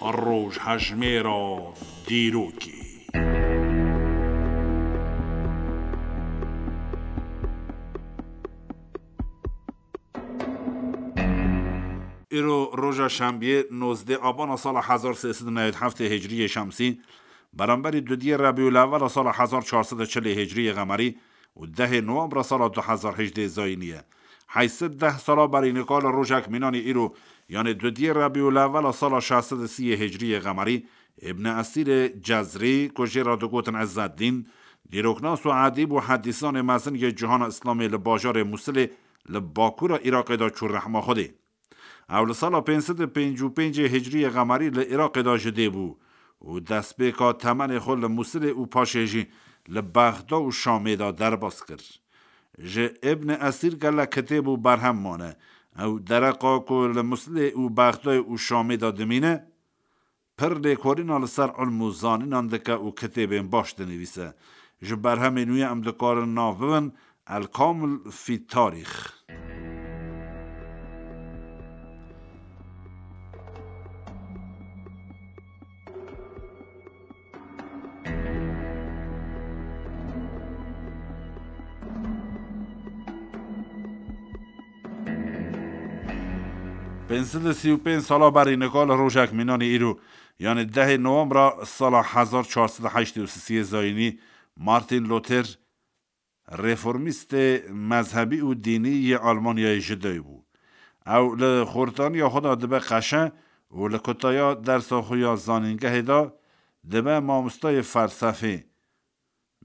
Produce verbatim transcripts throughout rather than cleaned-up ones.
Rojhejmêra dîrokê. Îro roja şembiyê, nozdeh abana sala hezar sê sed û newêd heftê hicriyê şemsî, beramberî dudiyê Rebîulewela sala hezar çar sed û çilê hicriyê qemerî û dehê nowembra sala du hezar hejdê zayînî ye. Heyt sed deh sala berî nika li rojek mînanî îro, yanê dudiyê Rebîulewela sala şeş sed û sî yê hicriyê qemerî, Îbn Esîrê Cezrî, ku jê re digotin Izzeddîn, dîroknas û edîb û hedîsanê mezin yê cihana Îslamê li bajarê Mûsilê li bakûra Iraqê de çû rehma Xwedê. Ew li sala pênc sed û pêncî û pêncê hicriyê qemerî li Iraqê de ji dê bû û destpêka temenê xwe li Mûsilê û paşê jî li Bexda û Şamê de derbas kir. Ji Îbn Esîr gelek kitêb û berhem mane. Ew dereqa ku li Mûsilê û Bexdayê û Şamê de dimîne, pir lêkolîna li ser ilm û zanînan dike û kitêbên baş dinivîse. Ji berhemên wî em dikarin nav bibin El Kamil fî Tarîx. Pênc sed û sî û pênc sala berî nika li rojek mînanî îro, yanî dehê nowembra sala hezar çar sed û heştê û sisê zayînî, Martin Luther, reformîstê mezhebî û dînî yê Almanyayê ji dayî bû. Ew li xortaniya xwe de dibe qeşe û li kutaya dersa xwe ya zanîngehê de dibe mamostayê felsefê.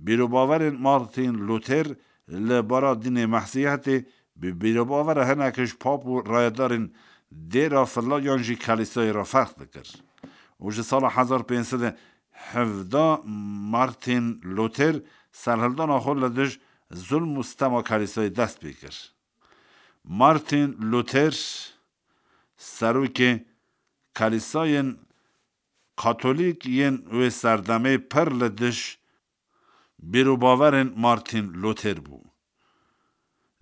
Bîrobawerên Martin Luther li bara dînê Mesîhetê bi bîrobawerê hinek ji pap û rayedarên dêra fila yan jî kelîsayê re ferq dikir. Û ji sala hezar pênc sed û hevdeh Martin Luther serhildana xwe li dij zulm û stema kelîsayê dest pê kir. Martin Luther, serokê kelîsayên katolîk yên wê serdemê, pir li dij bîrobawerên Martin Luther bû.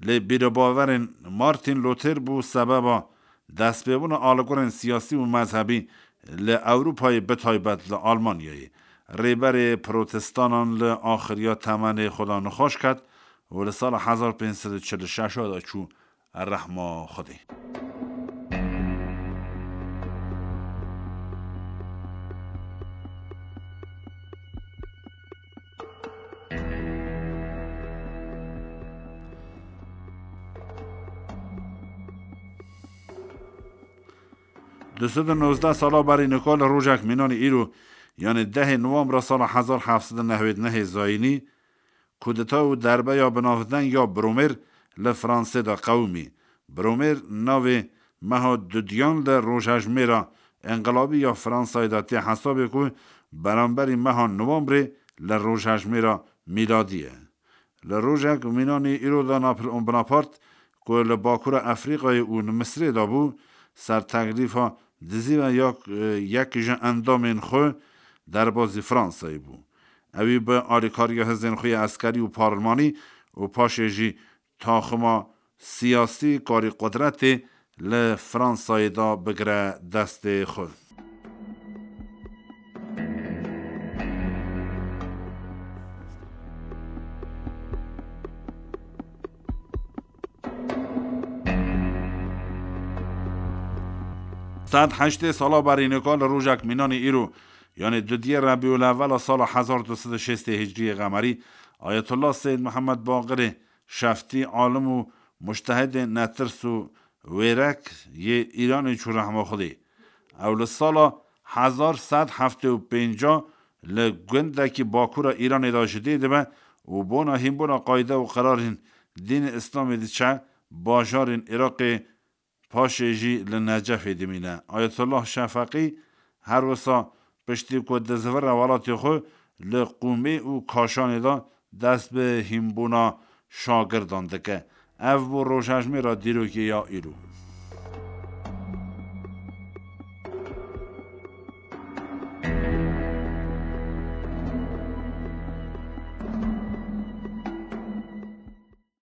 Lê bîrobawerên Martin Luther bû sebeba destpêbûna alîgorên siyasî û mezhebî li Ewropayê, bi taybet li Almanyayê. Rêberê protestanan li axiriya temenê xwe de nexweş ket û li sala hezar pênc sed û çil û şeş de çû rehma Xwedê. Du sed û nozdeh sala berî nika li rojek mînanî îro, yanî dehê nowembra sala hezar heft sed û newêd nehê zayînî, kudeta û derbeya binavdeng ya Bromêr li Fransê de qewimî. Bromêr navê meha dudiyan li rojhejmêra înqilabî ya Fransayê de tê hesabê ku beramberî meha nowembrê li rojhejmêra mîladî ye. Li rojek mînanî îro de Napoleon Bonaparte ku li Bakûra Efrîqayê û li Misirê de bû, ser teklîfa dizî ve ya, yek ji endamên xwe derbazî Fransayê bû. Ewî bi alîkariya hizên xwe yê eskerî û parlmanî û paşê jî taxima siyasî karî qudretê li Fransayê de bigire destê xwe. Sed heştê sala berî nika li rojek mînanî îro, yanî dudiyê Rebîulewela sala hezar du sed û şêstê hicriyê qemerî, Ayetullah Seyyid Mihemed Baqirê Şeftî, alim û mujtehidê netirs û wêrek yê Îranê çû rehma Xwedê. Ew li sala hezar sed heftê û pênc li gundekî bakûra Îranê de ji dê dibe û bona hînbûna qayde û qerarên dînê Îslamê diçe bajarên Iraqê, paşê jî li Necefê dimîne. Ayetullah Şefeqî her wisa piştî ku dizivire welatê xwe, li Qûmê û Kaşanê de dest bi hînbûna şagirdan dike. Ev bû rojhejmêra dîrokê ya îro.